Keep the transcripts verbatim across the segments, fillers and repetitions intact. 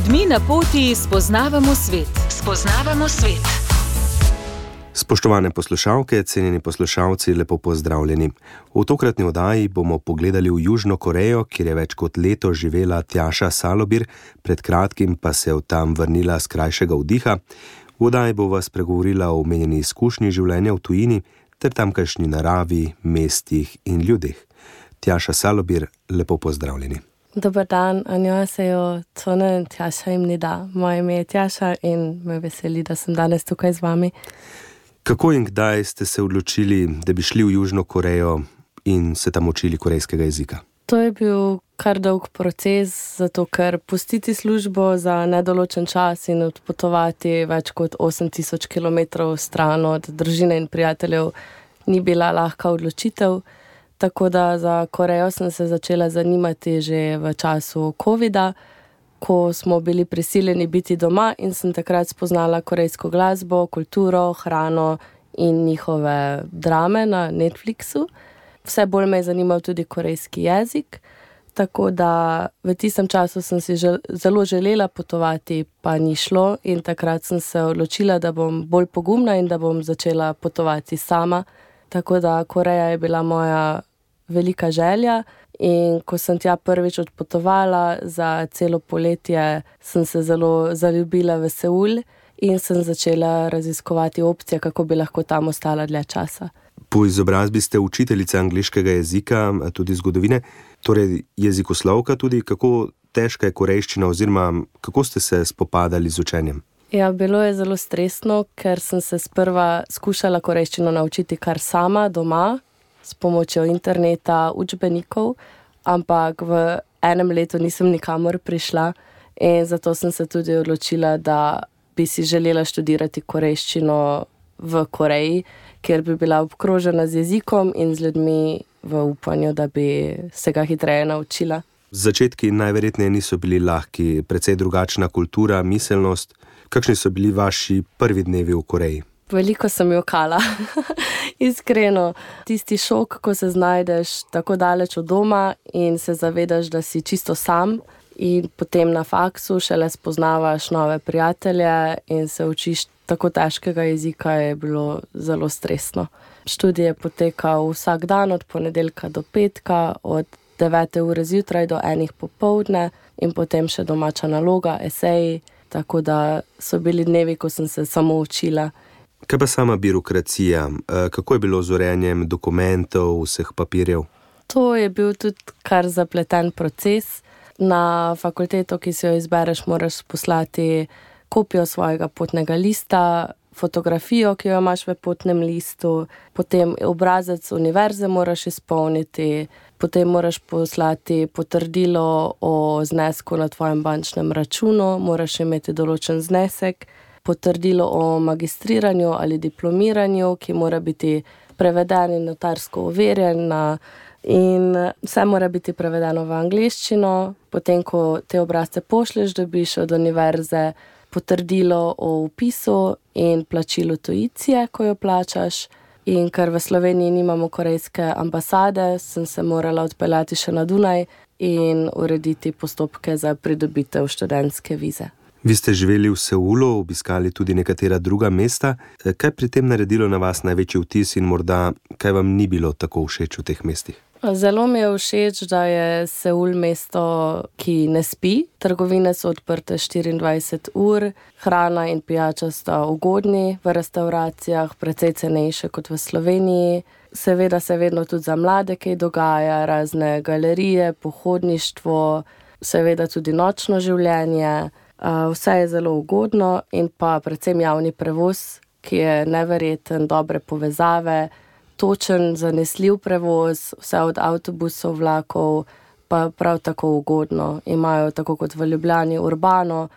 ljudmi na poti spoznavamo svet. Spoznavamo svet. Spoštovane poslušalke, cenjeni poslušalci, lepo pozdravljeni. V tokratni oddaji bomo pogledali v Južno Korejo, kjer je več kot leto živela Tjaša Salobir, pred kratkim pa se od tam vrnila s krajšega vdiha. V oddaji bo vas pregovorila o omenjeni izkušnji življenja v tujini ter tamkajšnji naravi, mestih in ljudeh. Tjaša Salobir, lepo pozdravljeni. Dobar dan, 안녕하세요. 저는 Tjaša입니다. Moje ime je Tjaša in me veseli, da sem danes tukaj z vami. Kako in kdaj ste se odločili, da bi šli v Južno Korejo in se tam učili korejskega jezika? To je bil kar dolg proces, zato ker pustiti službo za nedoločen čas in odpotovati več kot osem tisoč kilometrov stran od družine in prijateljev ni bila lahka odločitev. Tako da za Korejo sem se začela zanimati že v času covida, ko smo bili prisiljeni biti doma in sem takrat spoznala korejsko glasbo, kulturo, hrano in njihove drame na Netflixu. Vse bolj me je zanimal tudi korejski jezik, tako da v tistem času sem si žel, zelo želela potovati, pa ni šlo in takrat sem se odločila, da bom bolj pogumna in da bom začela potovati sama. Tako da Koreja je bila moja velika želja in ko sem tja prvič odpotovala za celo poletje, sem se zelo zaljubila v Seul in sem začela raziskovati opcije, kako bi lahko tam ostala dlje časa. Po izobrazbi ste učiteljica angleškega jezika, tudi zgodovine, torej jezikoslovka tudi. Kako težka je korejščina oziroma kako ste se spopadali z učenjem? Ja, bilo je zelo stresno, ker sem se sprva skušala korejščino naučiti kar sama doma, s pomočjo interneta, učbenikov, ampak v enem letu nisem nikamor prišla in zato sem se tudi odločila, da bi si želela študirati korejščino v Koreji, kjer bi bila obkrožena z jezikom in z ljudmi v upanju, da bi se ga hitreje naučila. Začetki najverjetneje niso bili lahki, precej drugačna kultura, miselnost. Kakšni so bili vaši prvi dnevi v Koreji? Veliko sem jokala, iskreno. Tisti šok, ko se znajdeš tako daleč od doma in se zavedaš, da si čisto sam in potem na faksu šele spoznavaš nove prijatelje in se učiš tako težkega jezika, je bilo zelo stresno. Študij je potekal vsak dan od ponedeljka do petka, od devete ure zjutraj do enih popoldne in potem še domača naloga, eseji, tako da so bili dnevi, ko sem se samo učila. Kaj pa sama birokracija? Kako je bilo z urejanjem dokumentov, vseh papirjev? To je bil tudi kar zapleten proces. Na fakulteto, ki si jo izbereš, moraš poslati kopijo svojega potnega lista, fotografijo, ki jo imaš v potnem listu, potem obrazec univerze moraš izpolniti, potem moraš poslati potrdilo o znesku na tvojem bančnem računu, moraš imeti določen znesek, potrdilo o magistriranju ali diplomiranju, ki mora biti preveden in notarsko overjen in vse mora biti prevedeno v angleščino. Potem, ko te obrazce pošleš, dobiš od univerze potrdilo o vpisu in plačilu tuicije, ko jo plačaš. In ker v Sloveniji nimamo korejske ambasade, sem se morala odpeljati še na Dunaj in urediti postopke za pridobitev študentske vize. Vi ste živeli v Seulu, obiskali tudi nekatera druga mesta. Kaj pri tem naredilo na vas največji vtis in morda kaj vam ni bilo tako všeč v teh mestih? Zelo mi je všeč, da je Seul mesto, ki ne spi. Trgovine so odprte štiriindvajset ur, hrana in pijača sta ugodni v restavracijah, precej cenejše kot v Sloveniji. Seveda se vedno tudi za mlade kaj dogaja, razne galerije, pohodništvo, seveda tudi nočno življenje. Vse je zelo ugodno in pa predvsem javni prevoz, ki je neverjeten, dobre povezave, točen, zanesljiv prevoz, vse od avtobusov, vlakov, pa prav tako ugodno. Imajo tako kot v Ljubljani Urbano,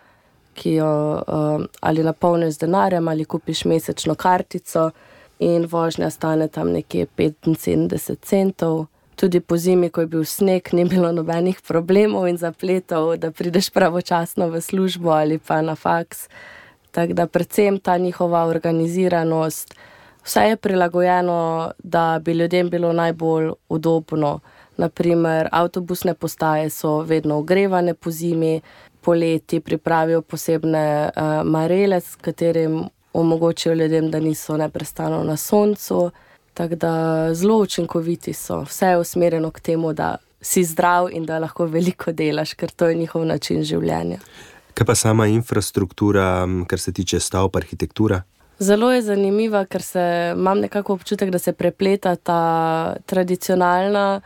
ki jo um, ali napolniš z denarjem ali kupiš mesečno kartico in vožnja stane tam nekje petinsedemdeset centov. Tudi po zimi, ko je bil sneg, ni bilo nobenih problemov in zapletov, da prideš pravočasno v službo ali pa na faks. Tako da predvsem ta njihova organiziranost, vse je prilagojeno, da bi ljudem bilo najbolj udobno. Naprimer, avtobusne postaje so vedno ogrevane po zimi, poleti pripravijo posebne uh, marele, s katerim omogočijo ljudem, da niso neprestano na soncu. Tako da zelo učinkoviti so. Vse je usmerjeno k temu, da si zdrav in da lahko veliko delaš, ker to je njihov način življenja. Kaj pa sama infrastruktura, kar se tiče stavb, arhitektura? Zelo je zanimiva, ker se, imam nekako občutek, da se prepleta ta tradicionalna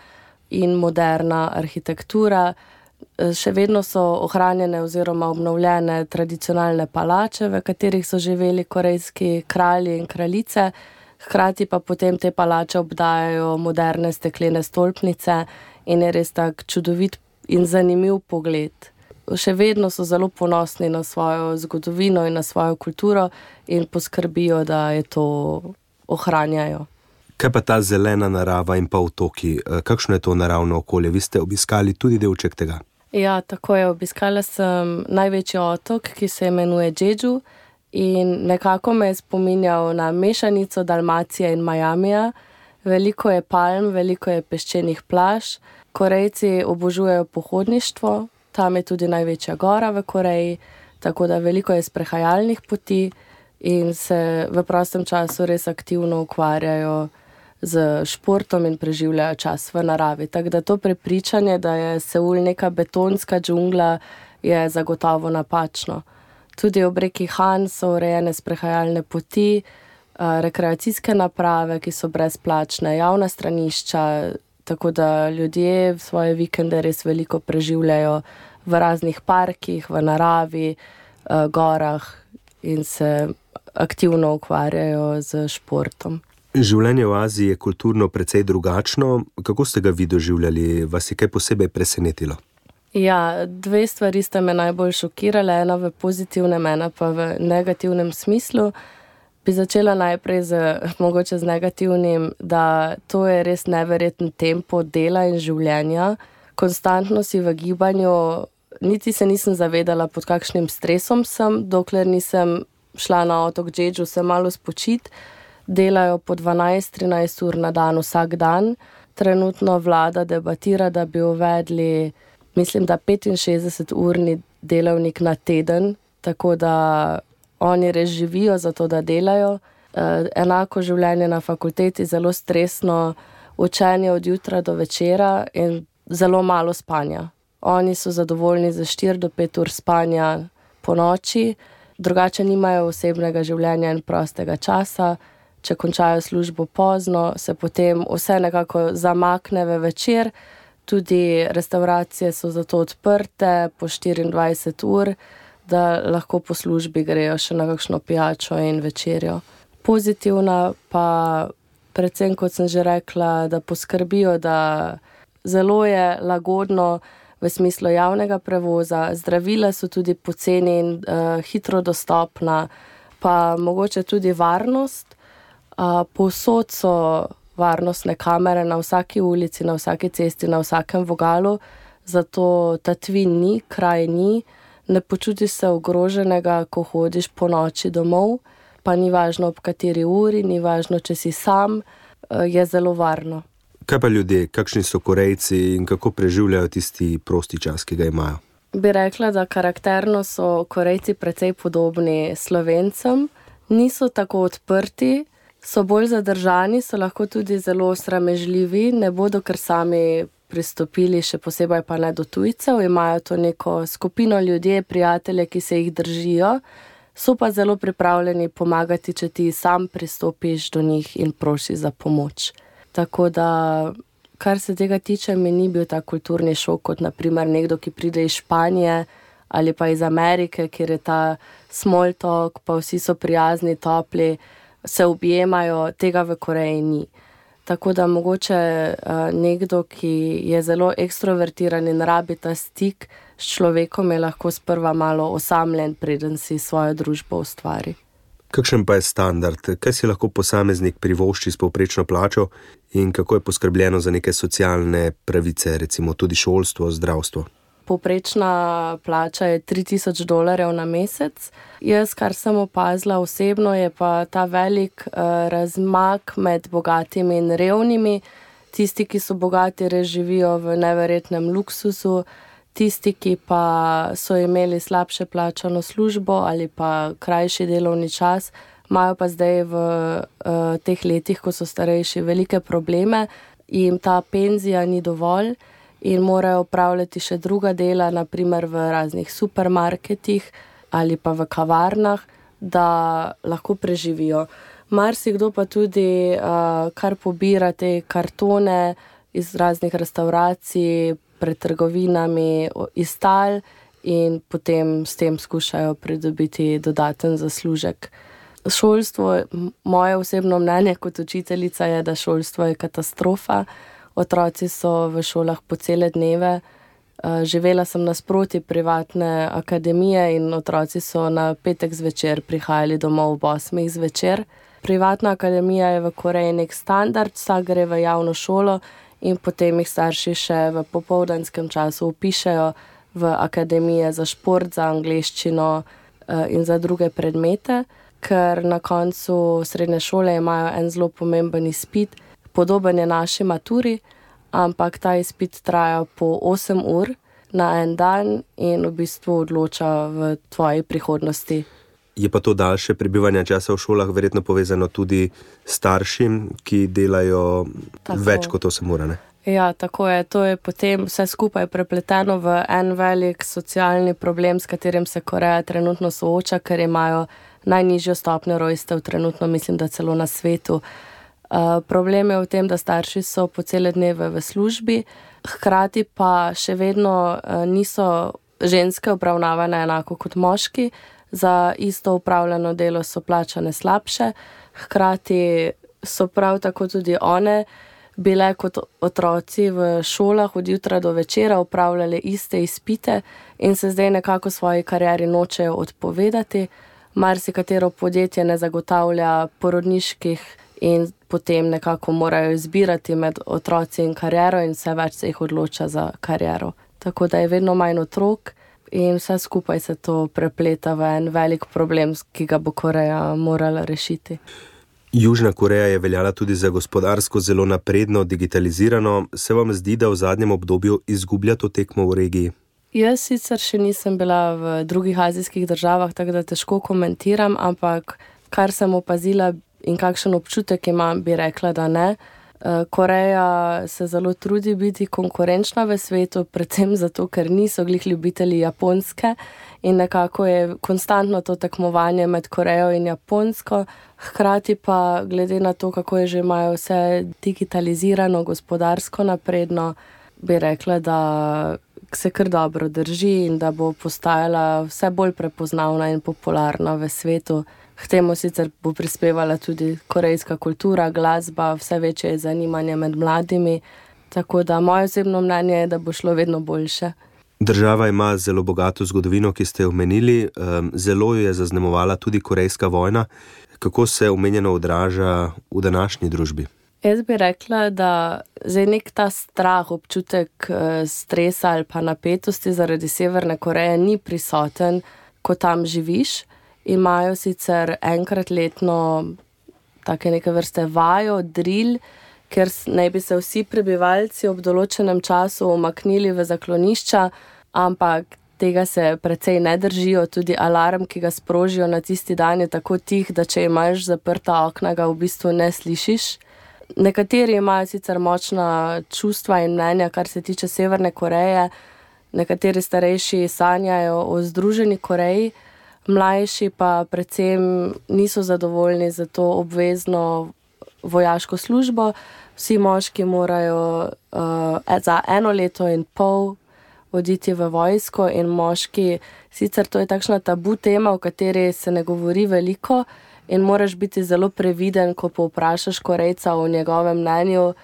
in moderna arhitektura. Še vedno so ohranjene oziroma obnovljene tradicionalne palače, v katerih so živeli korejski kralji in kraljice, hkrati pa potem te palače obdajajo moderne steklene stolpnice in je res tak čudovit in zanimiv pogled. Še vedno so zelo ponosni na svojo zgodovino in na svojo kulturo in poskrbijo, da je to ohranjajo. Kaj pa ta zelena narava in pa otoki? Kakšno je to naravno okolje? Vi ste obiskali tudi delček tega? Ja, tako je. Obiskala sem največji otok, ki se imenuje Jeju in nekako me je spominjal na mešanico Dalmacije in Miamija. Veliko je palm, veliko je peščenih plaž. Korejci obožujejo pohodništvo, tam je tudi največja gora v Koreji, tako da veliko je sprehajalnih poti in se v prostem času res aktivno ukvarjajo z športom in preživljajo čas v naravi. Tako da to prepričanje, da je Seul neka betonska džungla, je zagotovo napačno. Tudi ob reki Han so urejene sprehajalne poti, rekreacijske naprave, ki so brezplačne, javna stranišča, tako da ljudje svoje vikende res veliko preživljajo v raznih parkih, v naravi, gorah in se aktivno ukvarjajo z športom. Življenje v Aziji je kulturno precej drugačno. Kako ste ga vi doživljali? Vas je kaj posebej presenetilo? Ja, dve stvari sta me najbolj šokirale, ena v pozitivnem, ena pa v negativnem smislu. Bi začela najprej z, mogoče z negativnim, da to je res neverjeten tempo dela in življenja. Konstantno si v gibanju, niti se nisem zavedala, pod kakšnim stresom sem, dokler nisem šla na otok Jeju se malo spočit. Delajo po dvanajst trinajst ur na dan vsak dan. Trenutno vlada debatira, da bi uvedli, mislim, da petinšestdeseturni delavnik na teden, tako da oni res živijo za to, da delajo. E, enako življenje na fakulteti, zelo stresno, učenje od jutra do večera in zelo malo spanja. Oni so zadovoljni za štiri do pet ur spanja po noči, drugače nimajo osebnega življenja in prostega časa. Če končajo službo pozno, se potem vse nekako zamakne v večer. Tudi restauracije so zato odprte po štiriindvajset ur, da lahko po službi grejo še na kakšno pijačo in večerjo. Pozitivna pa predvsem, kot sem že rekla, da poskrbijo, da zelo je lagodno v smislu javnega prevoza, zdravila so tudi poceni in uh, hitro dostopna, pa mogoče tudi varnost. Uh, povsod so varnostne kamere na vsaki ulici, na vsaki cesti, na vsakem vogalu, zato tatvin ni, kraj ni, ne počutiš se ogroženega, ko hodiš po noči domov, pa ni važno ob kateri uri, ni važno, če si sam, uh, je zelo varno. Kaj pa ljudje, kakšni so Korejci in kako preživljajo tisti prosti čas, ki ga imajo? Bi rekla, da karakterno so Korejci precej podobni Slovencem, niso tako odprti, so bolj zadržani, so lahko tudi zelo sramežljivi, ne bodo kar sami pristopili, še posebej pa ne do tujcev, imajo to neko skupino ljudje, prijatelje, ki se jih držijo, so pa zelo pripravljeni pomagati, če ti sam pristopiš do njih in prosiš za pomoč. Tako da, kar se tega tiče, mi ni bil ta kulturni šok, kot naprimer nekdo, ki pride iz Španije ali pa iz Amerike, kjer je ta small talk, pa vsi so prijazni, topli, se objemajo, tega v Koreji ni. Tako da mogoče uh, nekdo, ki je zelo ekstrovertiran in rabi ta stik s človekom, je lahko sprva malo osamljen, preden si svojo družbo ustvari. Kakšen pa je standard? Kaj si lahko posameznik privošči s povprečno plačo in kako je poskrbljeno za neke socialne pravice, recimo tudi šolstvo, zdravstvo? Povprečna plača je tri tisoč dolarjev na mesec. Jaz, kar sem opazila osebno, je pa ta velik uh, razmak med bogatimi in revnimi. Tisti, ki so bogati, res živijo v neverjetnem luksusu. Tisti, ki pa so imeli slabše plačano službo ali pa krajši delovni čas, imajo pa zdaj v uh, teh letih, ko so starejši, velike probleme, jim ta penzija ni dovolj in morajo opravljati še druga dela, naprimer v raznih supermarketih ali pa v kavarnah, da lahko preživijo. Marsikdo pa tudi uh, kar pobira te kartone iz raznih restavracij, pred trgovinami, iz tal in potem s tem skušajo pridobiti dodaten zaslužek. Šolstvo, moje osebno mnenje kot učiteljica je, da šolstvo je katastrofa. Otroci so v šolah po cele dneve. Živela sem nasproti privatne akademije in otroci so na petek zvečer prihajali domov ob osmih zvečer. Privatna akademija je v Koreji nek standard, vsak gre v javno šolo in potem jih starši še v popoldanskem času vpišejo v akademije za šport, za angleščino in za druge predmete, ker na koncu srednje šole imajo en zelo pomemben izpit, podoben je naši maturi, ampak ta izpit traja po osem ur na en dan in v bistvu odloča v tvoji prihodnosti. Je pa to daljše prebivanje časa v šolah verjetno povezano tudi s staršim, ki delajo tako več kot osem ur, ne? Ja, tako je. To je potem vse skupaj prepleteno v en velik socialni problem, s katerim se Koreja trenutno sooča, ker imajo najnižjo stopnjo rojstev trenutno, mislim, da celo na svetu. Uh, problem je v tem, da starši so po cele dneve v službi, hkrati pa še vedno uh, niso ženske obravnavane enako kot moški, za isto upravljeno delo so plačane slabše, hkrati so prav tako tudi one bile kot otroci v šolah od jutra do večera, upravljale iste izpite in se zdaj nekako svoji karieri nočejo odpovedati. Marsikatero podjetje ne zagotavlja porodniških in potem nekako morajo izbirati med otroci in kariero in vse več se jih odloča za kariero. Tako da je vedno manj otrok in vse skupaj se to prepleta v en velik problem, ki ga bo Koreja morala rešiti. Južna Koreja je veljala tudi za gospodarsko zelo napredno, digitalizirano. Se vam zdi, da v zadnjem obdobju izgublja to tekmo v regiji? Jaz sicer še nisem bila v drugih azijskih državah, tako da težko komentiram, ampak kar sem opazila in kakšen občutek imam, bi rekla, da ne. Koreja se zelo trudi biti konkurenčna v svetu, predvsem zato, ker niso glih ljubitelji Japonske in nekako je konstantno to tekmovanje med Korejo in Japonsko. Hkrati pa glede na to, kako je že imajo vse digitalizirano, gospodarsko napredno, bi rekla, da se kar dobro drži in da bo postajala vse bolj prepoznavna in popularna v svetu. K temu sicer bo prispevala tudi korejska kultura, glasba, vse večje je zanimanje med mladimi, tako da moje osebno mnenje je, da bo šlo vedno boljše. Država ima zelo bogato zgodovino, ki ste jo omenili, zelo jo je zaznamovala tudi korejska vojna. Kako se omenjeno odraža v današnji družbi? Jaz bi rekla, da zdaj nek ta strah, občutek stresa ali pa napetosti zaradi Severne Koreje ni prisoten, ko tam živiš. Imajo sicer enkrat letno take neke vrste vajo, drill, ker naj bi se vsi prebivalci ob določenem času umaknili v zaklonišča, ampak tega se precej ne držijo. Tudi alarm, ki ga sprožijo na tisti dan, je tako tih, da če imaš zaprta okna, ga v bistvu ne slišiš. Nekateri imajo sicer močna čustva in mnenja, kar se tiče Severne Koreje. Nekateri starejši sanjajo o Združeni Koreji, mlajši pa predvsem niso zadovoljni za to obvezno vojaško službo. Vsi moški morajo uh, za eno leto in pol oditi v vojsko in moški, sicer to je takšna tabu tema, o kateri se ne govori veliko in moraš biti zelo previden, ko povprašaš Korejca o njegovem mnenju,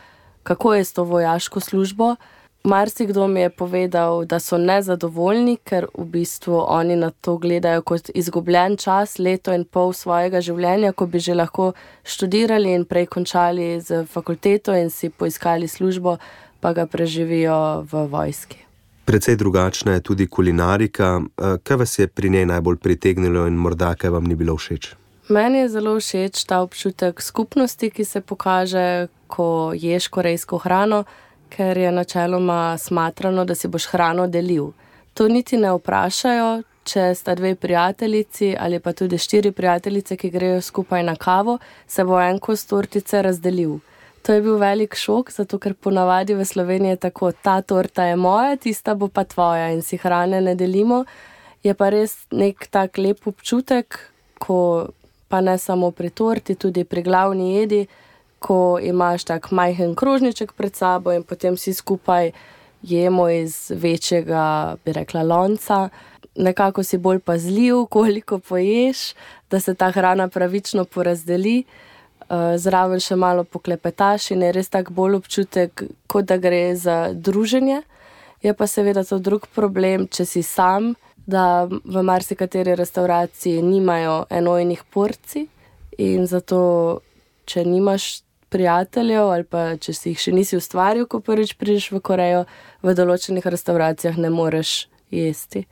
kako je s to vojaško službo. Marsikdo mi je povedal, da so nezadovoljni, ker v bistvu oni na to gledajo kot izgubljen čas, leto in pol svojega življenja, ko bi že lahko študirali in prej končali z fakulteto in si poiskali službo, pa ga preživijo v vojski. Precej drugačna je tudi kulinarika. Kaj vas je pri njej najbolj pritegnilo in morda kaj vam ni bilo všeč? Meni je zelo všeč ta občutek skupnosti, ki se pokaže, ko ješ korejsko hrano, ker je načeloma smatrano, da si boš hrano delil. To niti ne vprašajo, če sta dve prijateljici ali pa tudi štiri prijateljice, ki grejo skupaj na kavo, se bo en kos tortice razdelil. To je bil velik šok, zato ker ponavadi v Sloveniji je tako, ta torta je moja, tista bo pa tvoja in si hrane ne delimo. Je pa res nek tak lep občutek, ko pa ne samo pri torti, tudi pri glavni jedi, ko imaš tak majhen krožniček pred sabo in potem si skupaj jemo iz večjega, bi rekla, lonca. Nekako si bolj pazljiv, koliko poješ, da se ta hrana pravično porazdeli. Zraven še malo poklepetaš in je res tak bolj občutek, kot da gre za druženje. Je pa seveda to drug problem, če si sam, da v marsikateri restavraciji nimajo enojnih porcij in zato, če nimaš prijateljev ali pa če si jih še nisi ustvaril, ko prvič prideš v Korejo, v določenih restauracijah ne moreš jesti.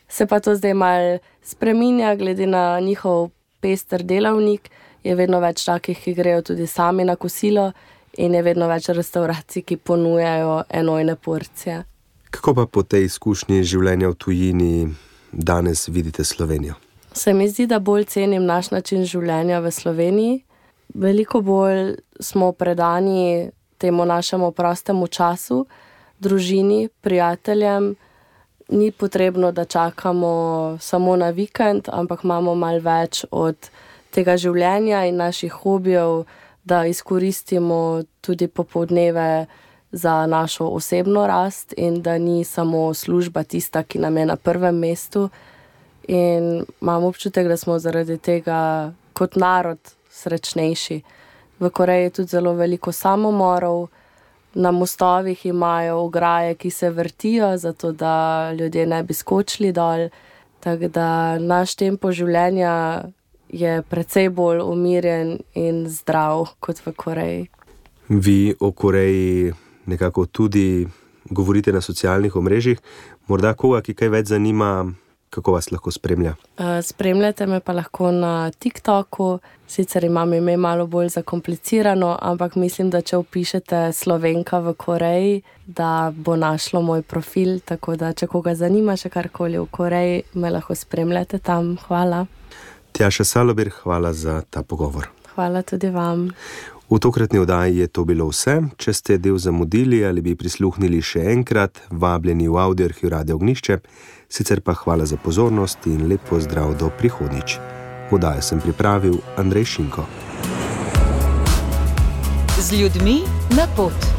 Se pa to zdaj malo spreminja, glede na njihov pester delavnik, je vedno več takih, ki grejo tudi sami na kosilo in je vedno več restavracij, ki ponujajo enojne porcije. Kako pa po tej izkušnji življenja v tujini danes vidite Slovenijo? Se mi zdi, da bolj cenim naš način življenja v Sloveniji. Veliko bolj smo predani temu našemu prostemu času, družini, prijateljem. Ni potrebno, da čakamo samo na vikend, ampak imamo malo več od tega življenja in naših hobijev, da izkoristimo tudi popoldneve za našo osebno rast in da ni samo služba tista, ki nam je na prvem mestu. In imam občutek, da smo zaradi tega kot narod srečnejši. V Koreji je tudi zelo veliko samomorov, na mostovih imajo ograje, ki se vrtijo, zato da ljudje ne bi skočili dol. Tako da naš tempo življenja je precej bolj umirjen in zdrav kot v Koreji. Vi o Koreji nekako tudi govorite na socialnih omrežjih. Morda koga, ki kaj več zanima, kako vas lahko spremlja? Spremljate me pa lahko na TikToku, sicer imam ime malo bolj zakomplicirano, ampak mislim, da če vpišete Slovenka v Koreji, da bo našlo moj profil, tako da če koga zanima še karkoli v Koreji, me lahko spremljate tam. Hvala. Tjaša Salobir, hvala za ta pogovor. Hvala tudi vam. V tokratni oddaji je to bilo vse. Če ste del zamudili ali bi prisluhnili še enkrat, vabljeni v Audioarhiv Radia Ognjišče. Sicer pa hvala za pozornost in lep pozdrav do prihodnjič. Oddajo sem pripravil Andrej Šinko. Z ljudmi na pot.